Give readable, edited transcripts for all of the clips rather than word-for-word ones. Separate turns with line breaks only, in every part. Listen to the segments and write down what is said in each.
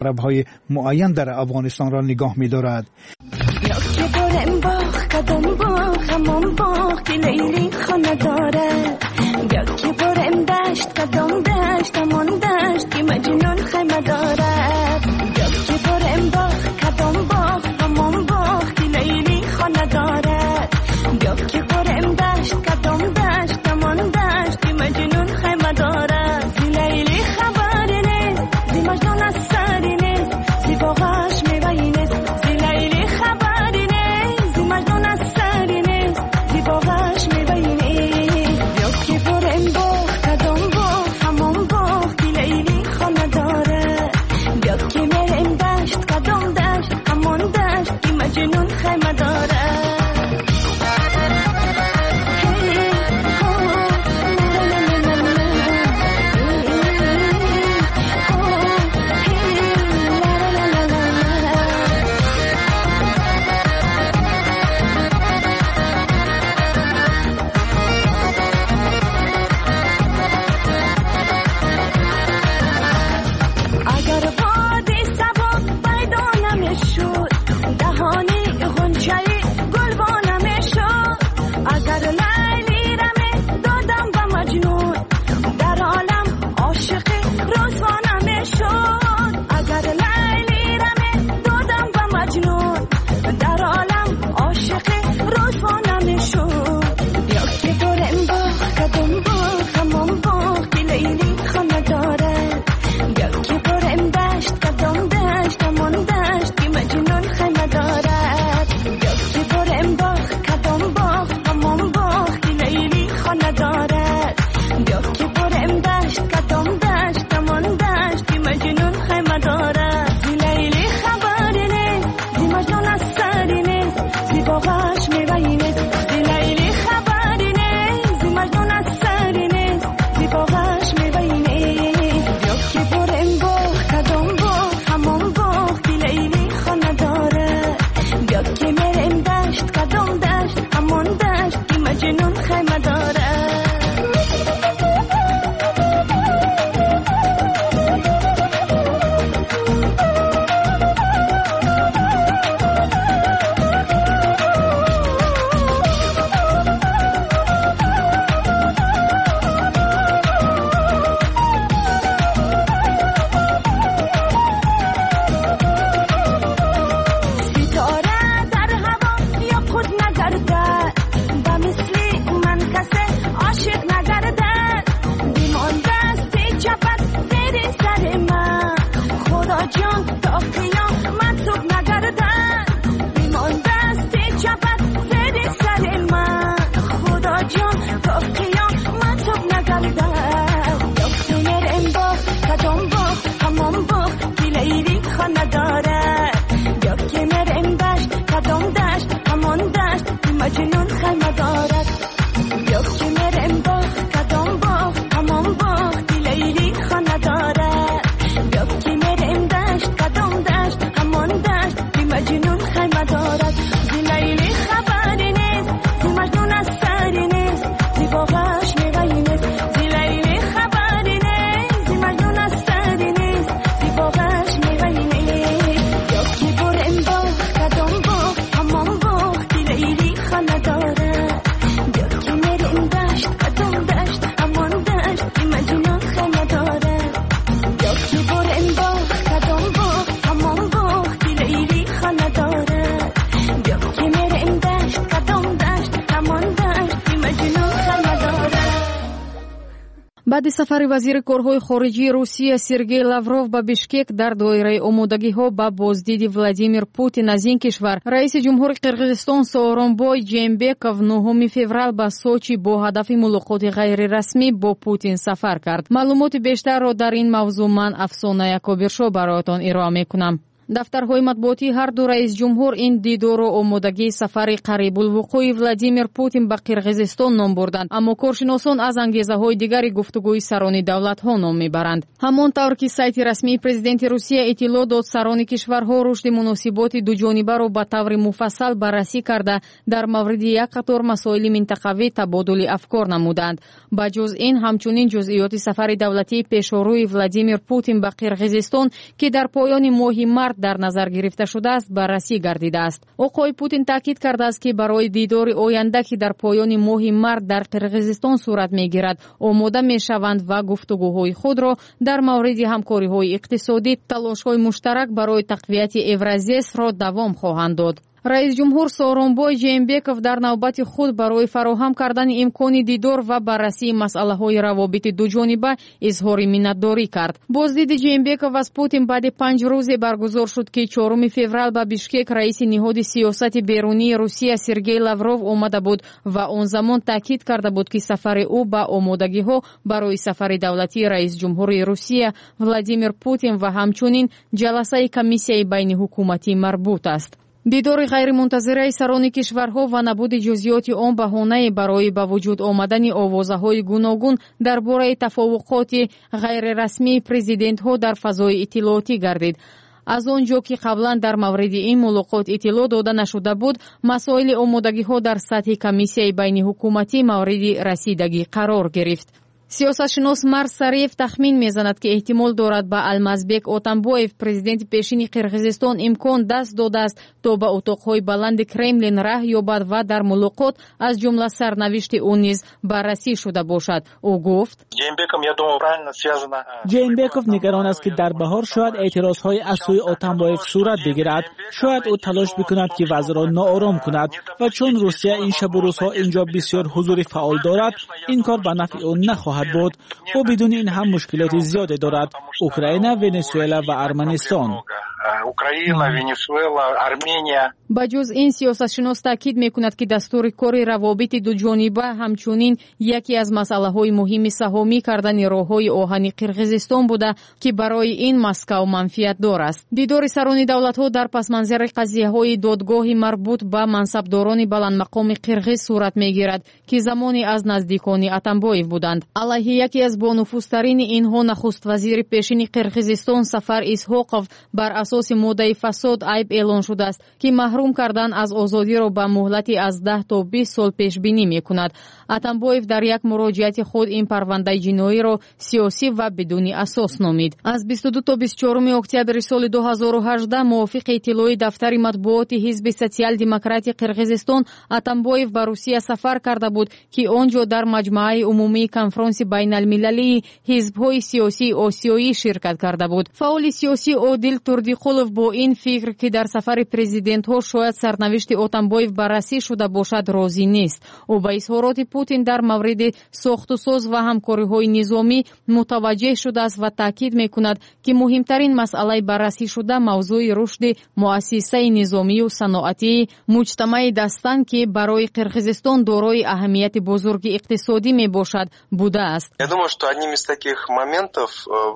Қаламравҳои муайян дар Афғонистонро нигоҳ медорад.
Баъди сафари вазири корҳои хориҷии Русия Сергей Лавров ба Бишкек дар доираи омодагиҳо ба боздиди Владимир Путин аз ин кишвар, раиси ҷумҳури Қирғизистон Сооронбой Жээнбеков 9 феврал ба Сочи бо ҳадафи мулоқоти ғайрирасмӣ бо Путин сафар кард. Маълумоти бештарро дар ин мавзӯъ ман, Афсона Якобиршо, бароятон ироа мекунам. Дафтарҳои матбуотии ҳар ду раис ҷумҳур ин дидорро омодагии сафари қарибулвуқӯи Владимир Путин ба Қирғизистон ном бурданд, аммо коршиносон аз ангезаҳои дигари гуфтугӯи сарони давлатҳо ном мебаранд. Ҳамон тавр ки сайти расмии президенти Русия иттилоъ дод, сарони кишварҳо рушди муносиботи дуҷонибаро ба таври муфассал баррасӣ карда, дар мавриди як қатор масоили минтақавӣ табодули афкор намуданд. Ба ҷуз ин, ҳамчунин ҷузъиёти сафари давлатии пешорӯи Владимир Путин ба Қирғизистон, ки дар поёни моҳи март дар назар гирифта шудааст, баррасӣ гардидааст. Оқои Путин таъкид кардааст, ки барои дидори оянда, ки дар поёни моҳи март дар Қирғизистон сурат мегирад, омода мешаванд ва гуфтугӯҳои худро дар мавриди ҳамкориҳои иқтисодӣ, талошҳои муштарак барои тақвияти Евразесро давом хоҳанд дод. Раис ҷумҳур Сооронбой Жээнбеков дар навбати худ барои фароҳам кардани имкони дидор ва баррасии масъалаҳои равобити дуҷониба изҳори миннатдорӣ кард. Боздиди Жээнбеков аз Путин баъди 5 рӯзе баргузор шуд, ки 4 феврал ба Бишкек раиси ниҳоди сиёсати берунии Русия Сергей Лавров омада буд ва он замон таъкид карда буд, ки сафари ӯ ба омодагиҳо барои сафари давлатии раис ҷумҳури Русия Владимир Путин ва ҳамчунин ҷаласаи комиссияи байниҳукуматӣ марбут аст. Дидори ғайримунтазираи сарони кишварҳо ва набуди ҷузъиёти он баҳонае барои ба вуҷуд омадани овозаҳои гуногун дар бораи тафовуқоти ғайрирасмии президентҳо дар фазои иттилоотӣ гардид. Аз он ҷо ки қаблан дар мавриди ин мулоқот иттилоъ дода нашуда буд, масоили омодагиҳо дар сатҳи комиссияи байниҳукуматӣ мавриди расидагӣ қарор гирифт. Сиёсатшинос Марс Сариев тахмин мезанад, ки эҳтимол дорад ба Алмазбек Отамбоев, президенти пешини Қирғизистон, имкон даст додааст, то ба утоқҳои баланди Кремлин раҳ ёбад ва дар мулоқот аз ҷумла сарнавишти ӯ низ баррасӣ шуда бошад. Ӯ гуфт:
Жээнбеков нигарон аст, ки дар баҳор шояд эътирозҳои аз сӯи Отамбоев сурат бигирад. Шояд ӯ талош бикунад, ки вазъро ноором кунад ва чун Русия ин шабу рӯзҳо инҷо бисёр ҳузури фаъол дорад, ин кор ба нафъи ӯ нахоҳад буд. Ӯ бидуни ин ҳам мушкилоти зиёде дорад: Украина, Венесуэла ва Арманистон.
Украина, Венесуэла, Армения.
Ба ҷуз ин, сиёсатшинос таъкид мекунад, ки дастури кори равобити дуҷониба ҳамчунин яке аз масъалаҳои муҳими саҳомӣ кардани роҳҳои оҳани Қирғизистон буда, ки барои ин Москав манфиатдор аст. Дидори сарони давлатҳо дар пасманзари қазияҳои додгоҳи марбут ба мансабдорони баландмақоми қирғиз сурат мегирад, ки замоне аз наздикони Атамбоев буданд. Алайҳи яке аз бонуфузтарини инҳо, нахуствазири пешини Қирғизистон Сафар Исҳоқов, бар асоси моддаи фасод айб эълон шудааст, ки маҳрум кардан аз озодиро ба муҳлати аз 10 то 20 сол пешбинӣ мекунад. Атамбоев дар як муроҷиати худ ин парвандаи ҷиноиро сиёсӣ ва бидуни асос номид. Аз 22 то 24 октябри соли 2018 мувофиқи иттилои дафтари матбуоти ҳизби социал-демократи Қирғизистон, Атамбоев ба Русия сафар карда буд, ки он ҷо дар маҷмааи умумии конфронси байналмилалии ҳизбҳои сиёсии осиёӣ ширкат карда буд. Фаъоли сиёсӣ Одил Турдиқулов бо ин фикр, ки дар сафари президентҳо шояд сарнавишти Отамбоев баррасӣ шуда бошад, розӣ нест. Ӯ ба изҳороти Путин дар мавриди сохтусоз ва ҳамкориҳои низомӣ мутаваҷҷеҳ шудааст ва таъкид мекунад, ки муҳимтарин масъалаи баррасӣ шуда мавзӯи рушди муассисаи низомию саноатии муҷтамаи Дастан, ки барои Қирғизистон дорои аҳамияти бузурги иқтисодӣ мебошад, будааст.
Я думаю, что одним из таких моментов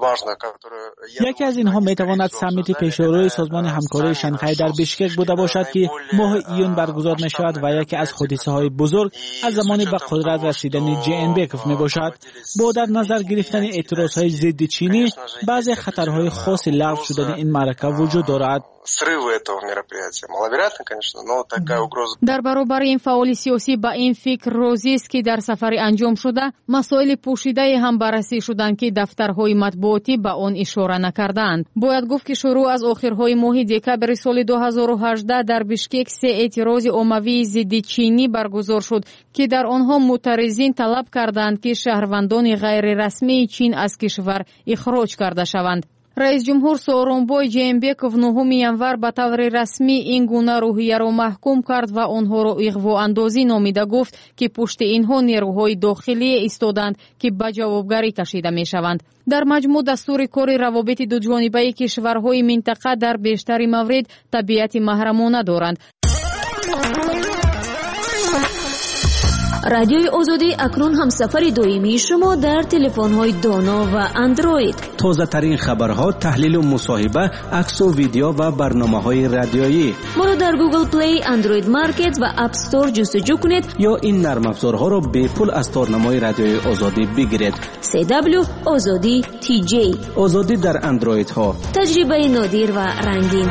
важных, которые
Яке аз инҳо метавонад саммити пешорӯи Созмони ҳамкории Шанхай дар Бишкек буда бошад, ки моҳи июн баргузор мешавад ва яке аз ҳодисаҳои бузург аз замони ба қудрат расидани Жээнбеков мебошад. Бо дар назар гирифтани эътирозҳои зидди чинӣ, баъзе хатарҳои хоси лағв шудани ин маърака вуҷуд дорад.
Срывы этого мероприятия маловероятно, конечно, но такая угроза.
Дар баробари ин, фаъоли сиёсӣ ба ин фикр розист, ки дар сафари анҷомшуда масоили пӯшидае ҳам баррасӣ шуданд, ки дафтарҳои матбуотӣ ба он ишора накардаанд. Бояд гуфт, ки шурӯъ аз охирҳои моҳи декабри соли 2018 дар Бишкек се эътирози оммавии зидди чинӣ баргузор шуд, ки дар онҳо мӯътаризин талаб карданд, ки шаҳрвандони ғайрирасмии Чин аз кишвар ихроҷ карда шаванд. Раисҷумҳур Сооронбой Жээнбеков 9 январ ба таври расмӣ ин гуна рӯҳияро маҳкум кард ва онҳоро иғвоандозӣ номида гуфт, ки пушти инҳо нерӯҳои дохилие истоданд, ки ба ҷавобгарӣ кашида мешаванд. Дар маҷмӯъ, дастури кори равобити дуҷонибаи кишварҳои минтақа дар бештари маврид табиати маҳрамона доранд.
Радиои Озодӣ акнун ҳамсафари доимии шумо дар телефонҳои доно ва Андроид.
Тозатарин хабарҳо, таҳлилу мусоҳиба, аксу видео ва барномаҳои радиоӣ.
Моро дар Google Play, Android Market ва App Store ҷустуҷӯ кунед
ё ин нармафзорҳоро бепул аз торнамои Радиои Озодӣ бигиред.
CW Озодӣ TJ.
Озодӣ дар андроидҳо.
Таҷрибаи нодир ва рангин.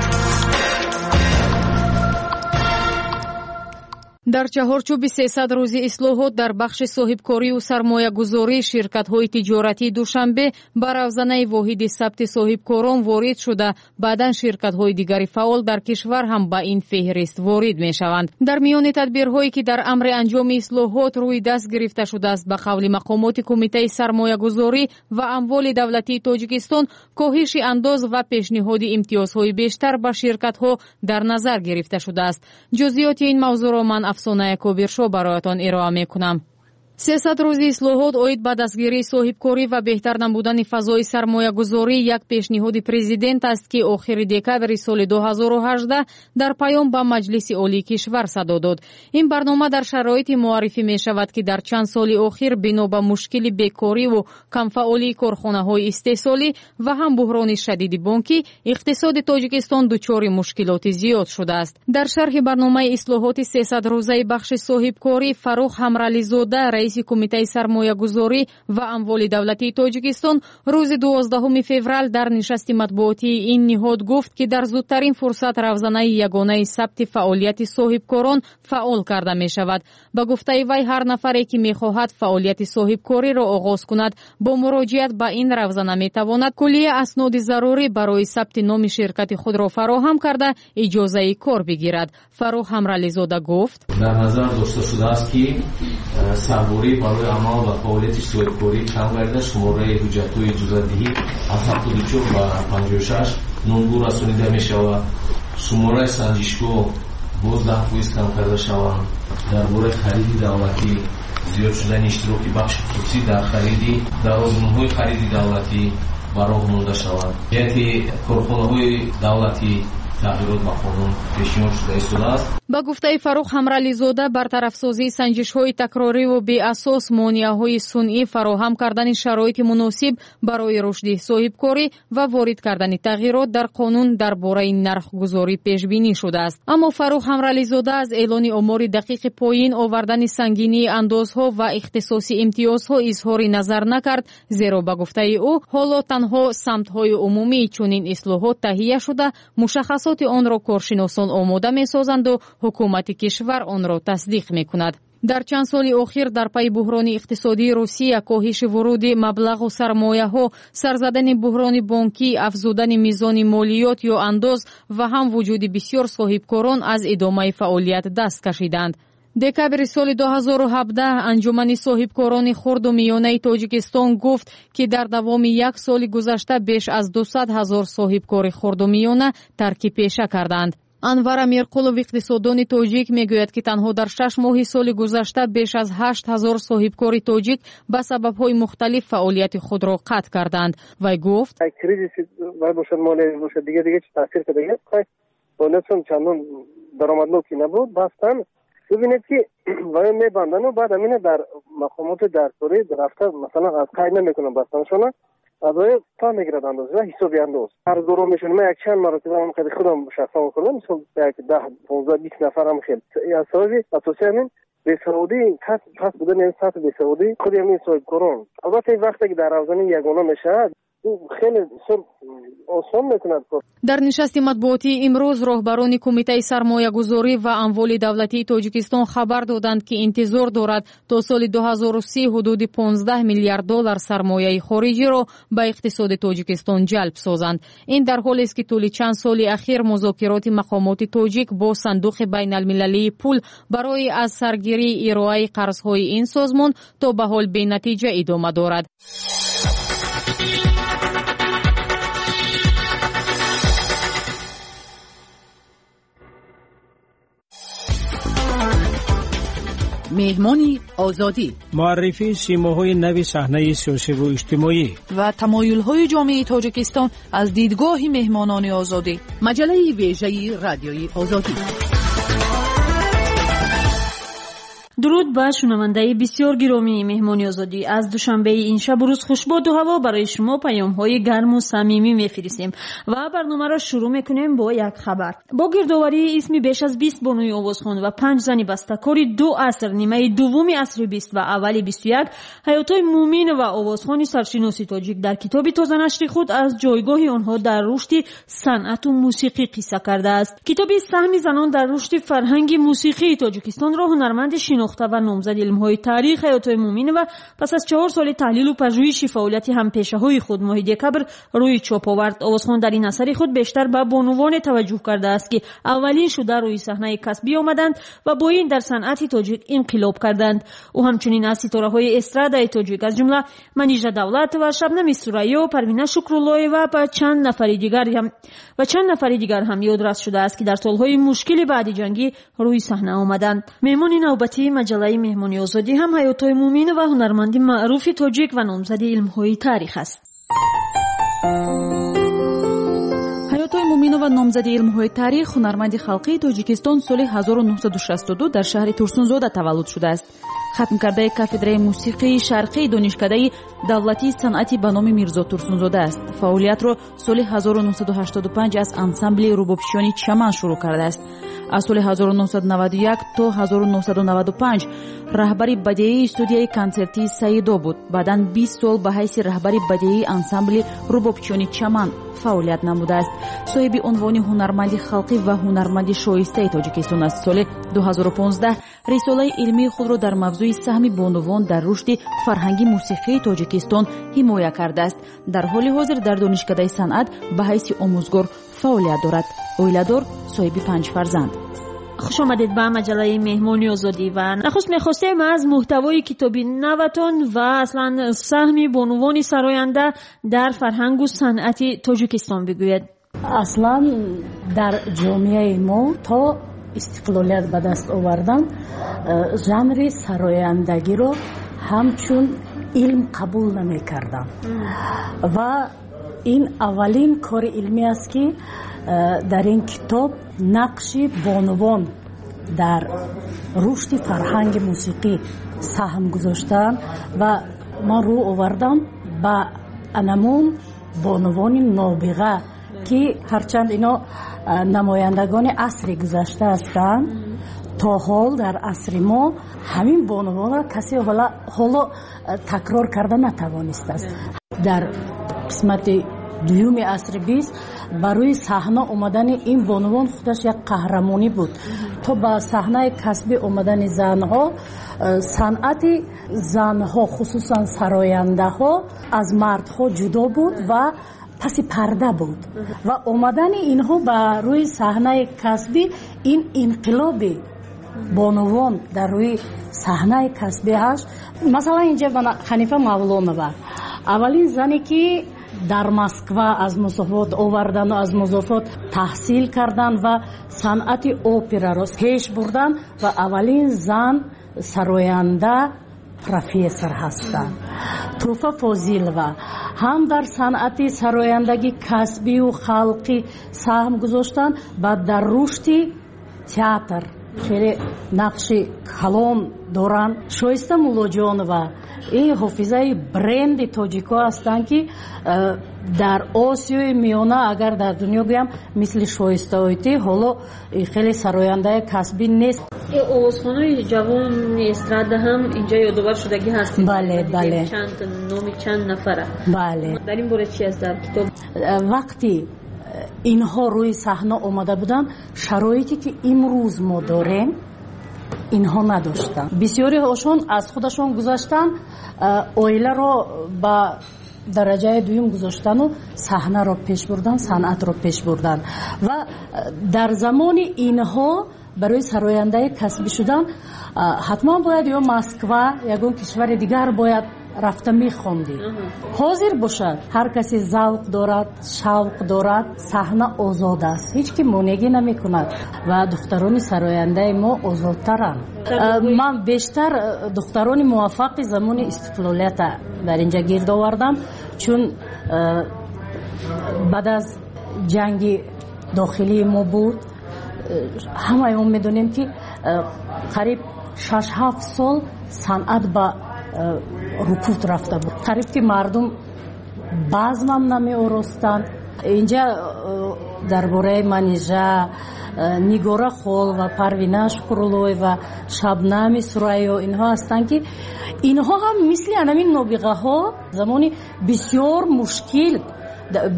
Дар чаҳорчӯби 300 рӯзи ислоҳот дар бахши соҳибкорию сармоягузорӣ ширкатҳои тиҷоратии Душанбе ба равзанаи воҳиди сабти соҳибкорон ворид шуда, баъдан ширкатҳои дигари фаъол дар кишвар ҳам ба ин феҳрист ворид мешаванд. Дар миёни тадбирҳое ки дар амри анҷоми ислоҳот рӯи даст гирифта шудааст, ба қавли мақомоти Кумитаи сармоягузорӣ ва амволи давлатии Тоҷикистон, коҳиши андоз ва пешниҳоди имтиёзҳои бештар ба ширкатҳо дар назар гирифта шудааст. Ҷузъиёти ин мавзӯъро ман Афсона Кобиршо бароятон ироа мекунам. 300 рӯзи ислоҳот оид ба дастгирии соҳибкорӣ ва беҳтар намудани фазои сармоягузорӣ як пешниҳоди президент аст, ки охири декабри соли 2018 дар паём ба Маҷлиси Олии кишвар садо дод. Ин барнома дар шароите муаррифӣ мешавад, ки дар чанд соли охир бино ба мушкили бекориву камфаъолии корхонаҳои истеҳсолӣ ва ҳам буҳрони шадиди бонкӣ иқтисоди Тоҷикистон дучори мушкилоти зиёд шудааст. Дар шарҳи барномаи ислоҳоти 300 рӯзаи бахши соҳибкорӣ Фаррух Ҳамрализода, раиси Кумитаи сармоягузорӣ ва амволи давлатии Тоҷикистон, рӯзи 12 феврал дар нишасти матбуотии ин ниҳод гуфт, ки дар зудтарин фурсат равзанаи ягонаи сабти фаъолияти соҳибкорон фаъол карда мешавад. Ба гуфтаи вай, ҳар нафаре ки мехоҳад фаъолияти соҳибкориро оғоз кунад, бо муроҷиат ба ин равзана метавонад куллия асноди зарурӣ барои сабти номи ширкати худро фароҳам карда, иҷозаи кор бигирад. Фаррух Ҳамрализода гуфт:
дар назар дошта шудааст, ки сарборӣ барои амал ва фаъолияти соҳибкорӣ кам гардида, шумораи ҳуҷҷатҳои иҷозатдиҳӣ аз 74 ба 56 номгӯ расонида мешавад, шумораи санҷишгоҳ боз 10% кам карда шаванд. Дар бораи хариди давлатӣ зиёд шудани иштироки бахши хусусӣ дар хариди дар озмунҳои хариди давлатӣ ба роҳ монда шаванд. Ҷиҳати корхонаҳои давлатӣ тағйирот ба қонун пешниҳод шуда истодааст.
Ба гуфтаи Фаррух Ҳамрализода, бартарафсозии санҷишҳои такрориву беасос, монеаҳои сунъӣ, фароҳам кардани шароити муносиб барои рушди соҳибкорӣ ва ворид кардани тағйирот дар қонун дар бораи нархгузорӣ пешбинӣ шудааст. Аммо Фаррух Ҳамрализода аз эълони омори дақиқи поин овардани сангинии андозҳо ва ихтисоси имтиёзҳо изҳори назар накард, зеро ба гуфтаи ӯ ҳоло танҳо самтҳои умумии чунин ислоҳот таҳия шуда, мушаххасоти онро коршиносон омода месозанду ҳукумати кишвар онро тасдиқ мекунад. Дар чанд соли охир дар пайи буҳрони иқтисодии Русия, коҳиши вуруди маблағу сармояҳо, сарзадани буҳрони бонкӣ, афзудани мизони молиёт ё андоз ва ҳам вуҷуди бисёр соҳибкорон аз идомаи фаъолият даст кашиданд. Декабри соли 2017 Анҷумани соҳибкорони хурду миёнаи Тоҷикистон гуфт, ки дар давоми як соли гузашта беш аз 200 ҳазор соҳибкори хурду миёна тарки пеша карданд. Анвар Амирқулов, иқтисоддони тоҷик, мегӯяд, ки танҳо дар 6 моҳи соли гузашта беш аз 8 ҳазор соҳибкори тоҷик ба сабабҳои мухталиф фаъолияти худро қатъ карданд. Вай гуфт:
кризиси вай бошад, молия бошад, дига дига чи таъсир карда, фаъолиятшон чандон даромаднокӣ набуд. Бастан бибинед, ки вай мебандану баъд амина дар мақомоти дарсорӣ рафта, масалан, аз қайд намекунанд бастанашона, аз вай та мегирад андоз ва ҳисоби андоз қарздоро мешаванд. Ман якчанд маротиба ҳам қади худам шахсан хӯрдам, мисол як 10, 15, 20 нафар ҳам хел. Аз сабаби асосии ҳамин бесаводӣ, паст будани сатҳи бесаводӣ худи ҳамин соҳибкорон. Албатта, ин вақте ки дар равзани ягона мешавад, хеле бисёр осон мекунад.
Дар нишасти матбуотии имрӯз роҳбарони Кумитаи сармоягузорӣ ва амволи давлатии Тоҷикистон хабар доданд, ки интизор дорад то соли 2030 ҳудуди 15 миллиард доллар сармояи хориҷиро ба иқтисоди Тоҷикистон ҷалб созанд. Ин дар ҳолест, ки тӯли чанд соли ахир музокироти мақомоти тоҷик бо Сандуқи байналмилалии пул барои аз саргирии ироаи қарзҳои ин созмон то ба ҳол бенатиҷа идома дорад.
Меҳмони Озодӣ.
Муаррифии симоҳои нави саҳнаи сиёсиву иҷтимоӣ
ва тамоюлҳои ҷомеаи Тоҷикистон аз дидгоҳи меҳмонони Озодӣ. Маҷаллаи вежаи Радиои Озодӣ.
Дуруд ба шунавандаи бисёр гиромии Меҳмони Озодӣ. Аз душанбеи ин шабу рӯз хушбоду ҳаво барои шумо паёмҳои гарму самимӣ мефиристем ва барномаро шурӯъ мекунем бо як хабар. Бо гирдоварии исми беш аз 20 бонуи овозхон ва 5 зани бастакори ду аср, нимаи дуввуми асри 20 ва аввали 21, Ҳаётои Муъминова, овозхони саршиноси тоҷик, дар китоби тозанашри худ аз ҷойгоҳи онҳо дар рушди санъату мусиқӣ қисса кардааст. Китоби «Саҳми занон дар рушди фарҳанги мусиқии Тоҷикистон»-ро ҳунарманди шинохта ва номзади илмҳои таърих Ҳаётои Муъминова пас аз 4 соли таҳлилу пажӯҳиши фаъолияти ҳампешаҳои худ моҳи декабр рӯи чоп овард. Овозхон дар ин асари худ бештар ба бонувоне таваҷҷӯҳ кардааст, ки аввалин шуда рӯи саҳнаи касбӣ омаданд ва бо ин дар санъати тоҷик инқилоб карданд. Ӯ ҳамчунин аз ситораҳои эстрадаи тоҷик, аз ҷумла Манижа Давлатова, Шабнами Сурайё, Парвина Шукруллоева ва чанд нафари дигар ҳам ёдрас шудааст, ки дар солҳои мушкили баъди ҷангӣ рӯи саҳна омаданд. Меҳмони навбатии маҷаллаи Меҳмони Озодӣ ҳам Ҳаётои Муъминова, ҳунарманди маъруфи тоҷик ва номзади илмҳои таърих аст.
Ҳаётои Муъминова, номзади илмҳои таърих, ҳунарманди халқии Тоҷикистон, соли 1962 дар шаҳри Турсунзода таваллуд шудааст. Хатмкардаи кафедраи мусиқии шарқии Донишкадаи давлатии санъати ба номи Мирзо Турсунзода аст. Фаъолиятро соли 1985 аз ансамбли рубобчиёни Чаман шурӯъ кардааст. Аз соли 1991 то 1995 раҳбари бадеии студияи консертии Саидо буд. Баъдан 20 сол ба ҳайси раҳбари бадеии ансамбли рубобчиёни Чаман фаъолият намудааст. Соҳиби унвони ҳунарманди халқӣ ва ҳунарманди шоистаи Тоҷикистон аст. Соли 2015 рисолаи илмии худро дар мавзӯи саҳми бонувон дар рушди фарҳанги мусиқии Тоҷикистон ҳимоя кардааст. Дар ҳоли ҳозир дар Донишкадаи санъат ба ҳайси омӯзгор фаъолият дорад. Оиладор, соҳиби 5 фарзанд.
Хуш омадед ба маҷаллаи Меҳмони Озодӣ ва нахуст мехостем аз муҳтавои китоби наватон ва аслан саҳми бонувони сароянда дар фарҳангу санъати Тоҷикистон бигӯед.
Аслан дар ҷомеаи мо то истиқлолият ба даст овардан жанри сарояндагиро ҳамчун илм қабул намекарданд ва ин аввалин кори илмӣ аст, ки дар ин китоб нақши бонувон дар рушди фарҳанги мусиқӣ саҳм гузоштаанд ва ман рӯ овардам ба анамун бонувони нобиға, ки ҳарчанд ино намояндагони асри гузашта ҳастанд, то ҳол дар асри мо ҳамин бонувонро касе ҳоло такрор карда натавонистааст. Дар қисмати дуюми асри 20 барои саҳна омадани ин бонувон худаш як қаҳрамонӣ буд. То ба саҳнаи касбӣ омадани занҳо, санъати занҳо, хусусан сарояндаҳо, аз мардҳо ҷудо буд ва паси парда буд ва омадани инҳо ба рӯи саҳнаи касбӣ ин инқилоби бонувон дар рӯи саҳнаи касбӣ ҳаст. Масалан, инҷа Ҳанифа Мавлонова, аввалин зане, ки дар Москва аз музофот овардану аз музофот таҳсил кардан ва санъати операро пеш бурдан ва аввалин зан сароянда профессор ҳастанд. Туҳфа Фозилова ҳам дар санъати сарояндагӣ касбию халқӣ саҳм гузоштанд ва дар рушди театр хеле нақши калон доранд. Шоиста Муллоҷонова ин ҳофизаи бренди тоҷико ҳастанд, ки дар Осиёи Миёна, агар дар дунё гӯям, мисли Шоиста Ойтӣ ҳоло хеле сарояндаи касбӣ нест.
Овозхонои ҷавони эстрада ҳам инҷа ёдовар шудагӣ ҳастед.
Бале, бале.
Чанд номи чанд нафара.
Бале.
Дар ин бора чи аст дар китоб?
Вақти инҳо рӯи саҳна омада буданд, шароите ки имрӯз мо дорем, инҳо надоштанд. Бисёриҳошон аз худашон гузаштанд, оиларо ба дараҷаи дуюм гузоштану саҳнаро пеш бурдан, санъатро пеш бурдан. Ва дар замони инҳо барои сарояндаи касбӣ шудан ҳатман бояд ё Москва, ягон кишвари дигар бояд рафта мехондӣ. Ҳозир бошад, ҳар касе завқ дорад, шавқ дорад, саҳна озод аст, ҳеҷ ки монеъгӣ намекунад ва духтарони сарояндаи мо озодтаранд. Ман бештар духтарони муваффақи замони истиқлолията дар инҷа гирд овардам, чун баъд аз ҷанги дохилии мо буд, ҳамаи мо медонем, ки қариб 6-7 сол санъат ба рукуд рафта буд. Қариб ки мардум базмам намеоростанд. Инҷа дар бораи Манижа, Нигора Холова, Парвина Шукруллоева, Шабнами Сурайё, инҳо ҳастанд, ки инҳо ҳам мисли анамин нобиғаҳо замони бисёр мушкил,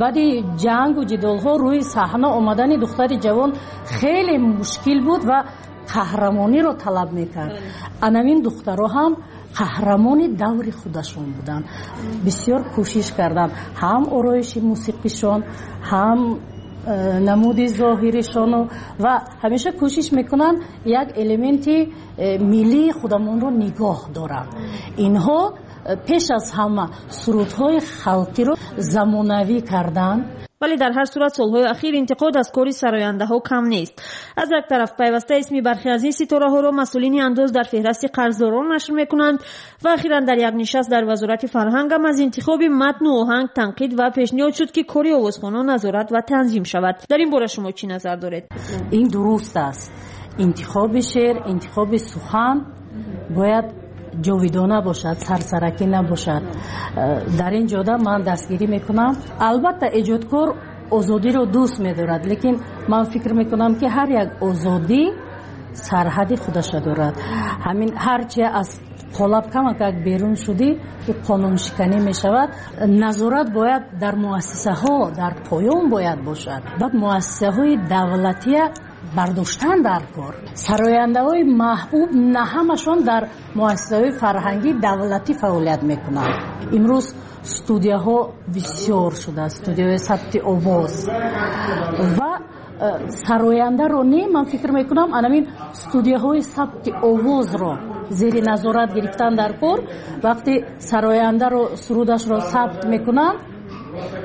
баъди ҷангу ҷидолҳо рӯи саҳна омадани духтари ҷавон хеле мушкил буд ва қаҳрамониро талаб мекард. Анамин духтаро ҳам қаҳрамони даври худашон буданд. Бисёр кӯшиш карданд, ҳам ороиши мусиқишон, ҳам намуди зоҳиришону, ва ҳамеша кӯшиш мекунанд як элементи миллии худамонро нигоҳ доранд. Инҳо пеш аз ҳама сурудҳои халқиро замонавӣ карданд.
Вале дар ҳар сурат солҳои ахир интиқод аз кори сарояндаҳо кам нест. Аз як тараф, пайваста исми бархе аз ин ситораҳоро масъулини андоз дар феҳрасти қарздорон нашр мекунанд ва ахиран дар як нишаст дар Вазорати фарҳангам аз интихоби матну оҳанг танқид ва пешниҳод шуд, ки кори овозхонон назорат ва танзим шавад. Дар ин бора шумо чӣ назар доред?
Ин дуруст аст. Интихоби шеър, интихоби сухан бояд ҷовидона бошад, сарсаракӣ набошад. Дар ин ҷода ман дастгирӣ мекунам. Албатта, эҷодкор озодиро дӯст медорад, лекин ман фикр мекунам, ки ҳар як озодӣ сарҳади худаша дорад. Ҳамин ҳарчи аз қолаб камакак берун шудӣ, ки қонуншиканӣ мешавад. Назорат бояд дар муассисаҳо, дар поён бояд бошад. Баъд муассисаҳои давлатия бардоштан дар кор. Сарояндаҳои маҳбуб на ҳамашон дар муассисаҳои фарҳангии давлатӣ фаъолият мекунанд. Имрӯз студияҳо бисёр шудааст, студияҳои сабти овоз, ва сарояндаро не, ман фикр мекунам, анамин студияҳои сабти овозро зери назорат гирифтан дар кор. Вақте сарояндаро сурудашро сабт мекунанд,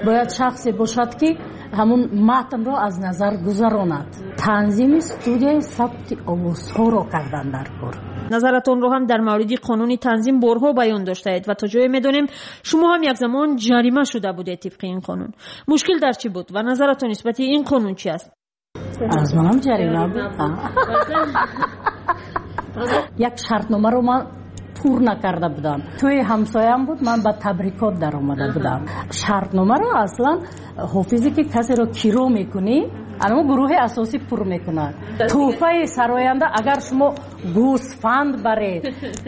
бояд шахсе бошад, ки ҳамун матнро аз назар гузаронад. Танзими студияи сабти овозҳоро кардан дар кор.
Назаратонро ҳам дар мавриди қонуни танзим борҳо баён доштаед ва то ҷое медонем, шумо ҳам як замон ҷарима шуда будед тибқи ин қонун. Мушкил дар чӣ буд ва назаратон нисбати ин қонун чи аст?
Аз манам ҷарима буд. Як шартномаро ман пур накарда будам. Тӯи ҳамсоям буд, ман ба табрикот даромада будам. Шартномаро аслан ҳофизе, ки касеро киро мекунӣ, анамо гурӯҳи асосӣ пур мекунад. Тӯҳфаи сароянда, агар шумо гӯсфанд баред,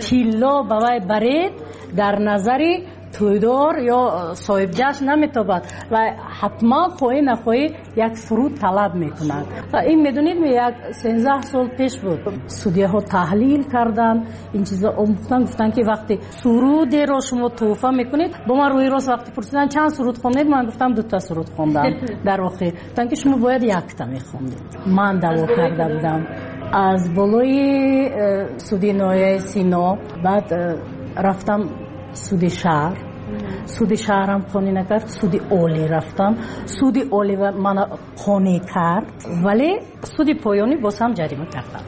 тилло ба вай баред, дар назари тӯйдор ё соҳибҷашн наметобад ва ҳатман хоҳӣ нахоҳӣ як суруд талаб мекунад. Ин, медонед, як 13 сол пеш буд. Судяҳо таҳлил карданд, ин чизо омӯхтан, гуфтанд, ки вақте сурудеро шумо тӯҳфа мекунед, бо ман рӯи рост вақте пурсиданд, чанд суруд хондед, ман гуфтам, дута суруд хондам. Дар охир гуфтанд, ки шумо бояд якта мехондед. Ман даъво карда будам аз болои суди ноҳияи Сино, баъд рафтам суди шаҳр. Суди шаҳрам қонеъ накард, суди олӣ рафтам. Суди олӣ мана қонеъ кард, вале суди поёнӣ боз ҳам ҷарима кардам.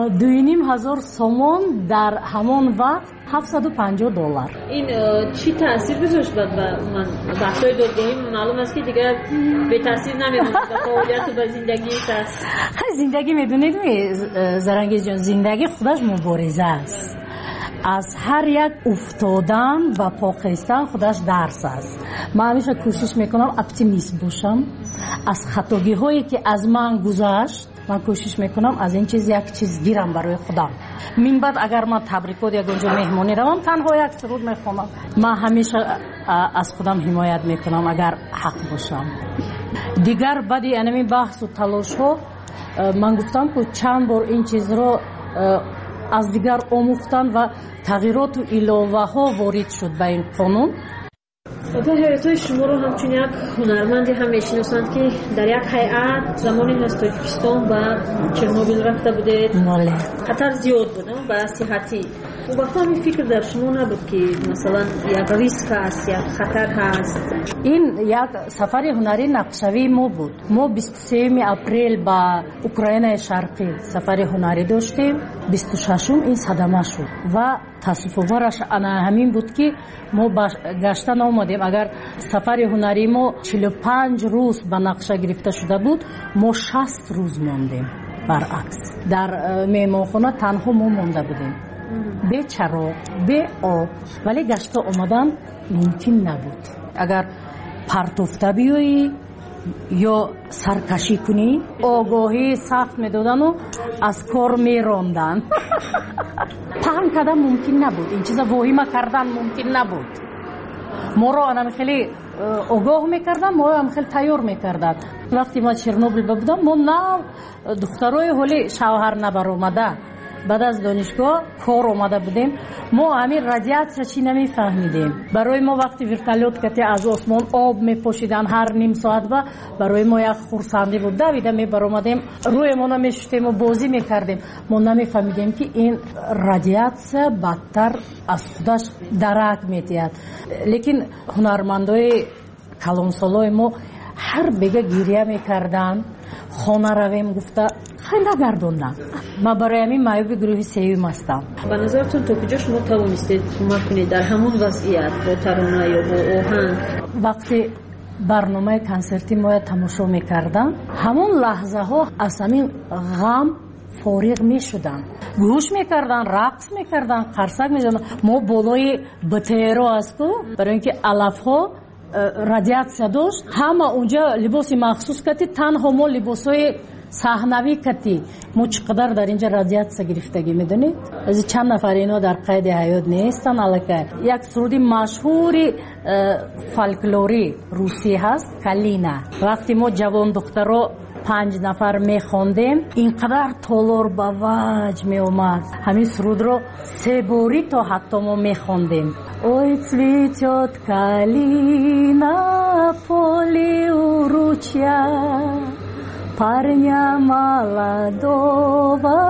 2500 сомон, дар ҳамон вақт 750 доллар.
Ин чӣ таъсир гузошт ба ман? Баҳсҳои додгоҳӣ маълум аст, ки дигар бетаъсир намемонад ба фаъолияту ба зиндагии кас.
Зиндагӣ, медонед, Зарангизҷон, зиндагӣ худаш мубориза аст. Аз ҳар як уфтодан ва по хестан худаш дарс аст. Ман ҳамеша кӯшиш мекунам оптимист бошам. Аз хатогиҳое, ки аз ман гузашт, ман кӯшиш мекунам аз ин чиз як чиз гирам барои худам. Минбаъд агар ман табрикот, ягон ҷо меҳмонӣ равам, танҳо як суруд мехонам. Ман ҳамеша аз худам ҳимоят мекунам, агар ҳақ бошам. Дигар баъди анамин баҳсу талошҳо, ман гуфтам, ку чанд бор ин чизро аз дигар омӯхтан ва тағйироту иловаҳо ворид шуд ба ин қонун.
Ба ҳаётҳои шуморо ҳамчун як ҳунарманде ҳам мешиносанд, ки дар як ҳайат замоне аз Тоҷикистон ба Чернобил рафта будед. Хатар зиёд буд ба сиҳатӣ. Он вақт ҳамин фикр дар шумо набуд, ки масалан як риск ҳаст, як хатар ҳаст?
Ин як сафари ҳунарии нақшавии мо буд. Мо 23 апрел ба Украинаи Шарқӣ сафари ҳунарӣ доштем. 26-ум ин садама шуд ва таассуфовараш ана ҳамин буд, ки мо гашта наомадем. Агар сафари ҳунарии мо 45 рӯз ба нақша гирифта шуда буд, мо 60 рӯз мондем. Баръакс, дар меҳмонхона танҳо мо монда будем, бе чароғ, бе об, вале гашта омадан мумкин набуд. Агар партофта биёӣ ё саркашӣ кунӣ, огоҳӣ сахт медодану аз кор меронданд. Паҳн кардан мумкин набуд, ин чиза воҳима кардан мумкин набуд. Моро анам хеле огоҳ мекарданд, моро ҳам хеле тайёр мекарданд. Вақте ма Чернобил будам, мо нав духтарои ҳоли шавҳар набаромада, баъд аз донишгоҳ кор омада будем. Мо ҳамин радиатсия чӣ намефаҳмидем. Барои мо вақти вертолёт кате аз осмон об мепошиданд ҳар ним соат, ба барои мо як хурсандӣ буд. Давида мебаромадем, рӯемона мешуштему бозӣ мекардем. Мо намефаҳмидем, ки ин радиатсия бадтар аз худаш дарак медиҳад. Лекин ҳунармандои калонсолои мо ҳар бега гиря мекарданд, хона равем гуфта хай нагардонданд. Ман барои ҳамин маъюби гурӯҳи сеюм ҳастам.
Ба назаратон то куҷо шумо тавонистед кӯмак кунед дар ҳамон вазъият бо тарона ё бо оҳанг?
Вақте барномаи консерти моя тамошо мекардам, ҳамон лаҳзаҳо аз ҳамин ғам фориғ мешуданд, гӯш мекарданд, рақс мекарданд, қарсак мезаданд. Мо болои БТРо аст ку, барои ин ки алафҳо радиатсия дошт, ҳама унҷа либоси махсус кати, танҳо мо либосҳои саҳнавӣ кати. Мо чӣ қадар дар инҷа радиатсия гирифтагӣ медонед? Аз чанд нафар ино дар қайди ҳаёт нестанд аллакай. Як суруди машҳури фолклори русӣ ҳаст, «Калина». Вақте мо ҷавон духтаро 5 нафар мехондем, ин қадар толор ба ваҷ меомад. Ҳамин сурудро се борӣ то ҳатто мо мехондем. Ой, цветет калина в поле у ручья, парня молодого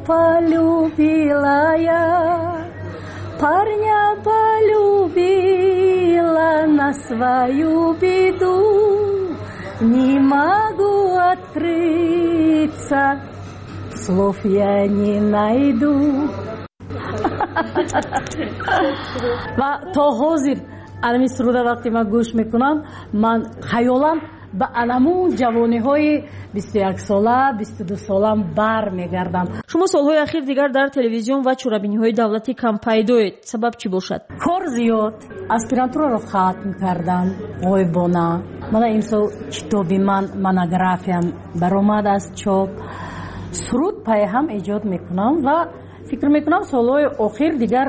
полюбила я, парня полюбила на свою беду, не могу открыться, слов я не найду. Ва то ҳозир анами суруда вақте ман гӯш мекунам, ман хаёлам ба анамун ҷавониҳои 21-сола, 22-солам бар мегардам.
Шумо солҳои ахир дигар дар телевизион ва чорабиниҳои давлатӣ кам пайдоед. Сабаб чӣ бошад?
Кор зиёд. Аспирантураро хатм кардам ғоибона. Мана имсол китоби ман, монографиям баромад аз чоп. Суруд пайҳам эҷод мекунам ва фикр мекунам солҳои охир дигар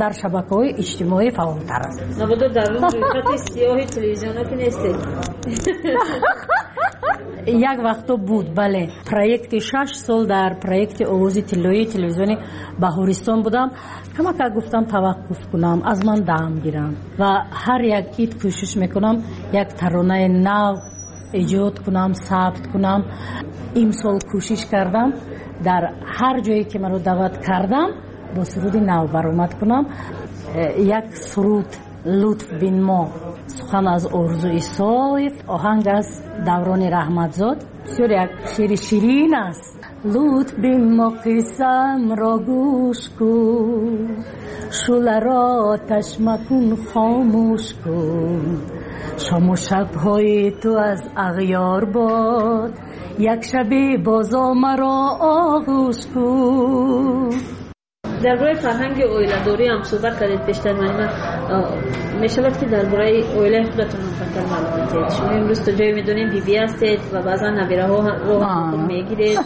дар шабакаҳои иҷтимоӣ фаъолтар аст.
Набудо дар рӯйхати сиёҳи телевизионо ки нестед?
Як вақто буд, бале. Проекти 6 сол дар проекти овози тиллоии телевизиони Баҳористон будам. Камакак гуфтам таваққуф кунам, аз ман дам гирам ва ҳар як ид кӯшиш мекунам як таронаи нав эҷод кунам, сабт кунам. Имсол кӯшиш кардам дар ҳар ҷое ки маро даъват кардам бо суруди нав баромад кунам. Як суруд «Лутф бин мо», сухан аз Орзу Исоев, оҳанг аз Даврони Раҳматзод. Бисёр як шеъри ширин аст. Лутф бин мо, қиссамро гӯш кун, шӯларо оташ макун, хомӯш кун. Шому шабҳои ту аз ағёр бод, як шабе бозо маро оғӯш кун.
Дар бораи фарҳанги оиладорӣ ҳам суҳбат кардед пештар. Ман мешавад ки дар бораи оилаи худатон ҳам камтар маълум диҳед. Шумо имрӯз то ҷое медонем бибӣ ҳастед ва баъзан набираҳоро мегиред.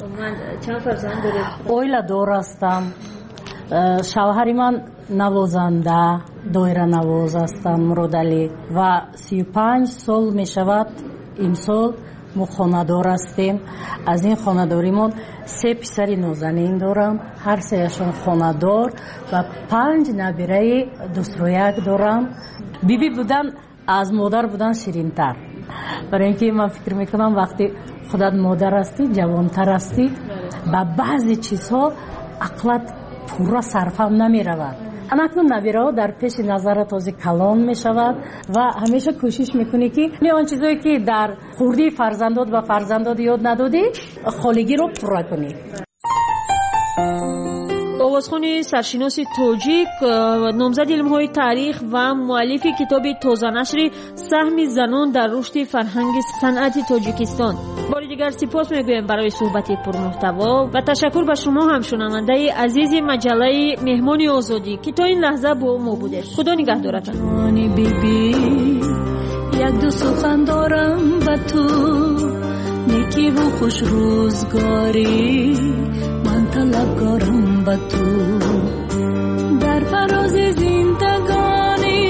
Умуман чанд фарзанд доред?
Оиладор ҳастам. Шавҳари ман навозанда, доиранавоз ҳастам, Муродалӣ, ва 35 сол мешавад имсол мо хонадор ҳастем. Аз ин хонадоримон 3 писари нозанин дорам, ҳар сеяшон хонадор, ва 5 набираи дӯстрӯяк дорам. Бибӣ будан аз модар будан ширинтар, барои ин ки ман фикр мекунам вақте худат модар ҳастӣ, ҷавонтар ҳастӣ, ба баъзе чизҳо ақлат пурра Пурра сарфам намеравад. Анакнун набираҳо дар пеши назарат ҳозир калон мешавад ва ҳамеша кӯшиш мекунӣ, ки он чизое ки дар хурдии фарзандот ба фарзандот ёд надодӣ, холигиро пурра кунӣ.
Овозхони саршиноси тоҷик, номзади илмҳои таърих ва муаллифи китоби тозанашри «Саҳми занон дар рушди фарҳанги санъати Тоҷикистон», бори дигар сипос мегӯем барои суҳбати пурмуҳтаво ва ташаккур ба шумо ҳам, шунавандаи азизи маҷаллаи «Меҳмони озодӣ», ки то ин лаҳза бо мо будед. Худо нигаҳдоратон.
Як-ду сухан дорам ба ту, некиву хушрӯзгорӣ ман талабгорам ба ту. Дар фарози зиндагонӣ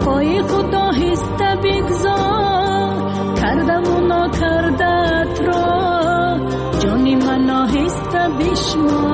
пои худ оҳиста бигзор, кардаву нокардаатро, ҷони ман, оҳиста бишмор.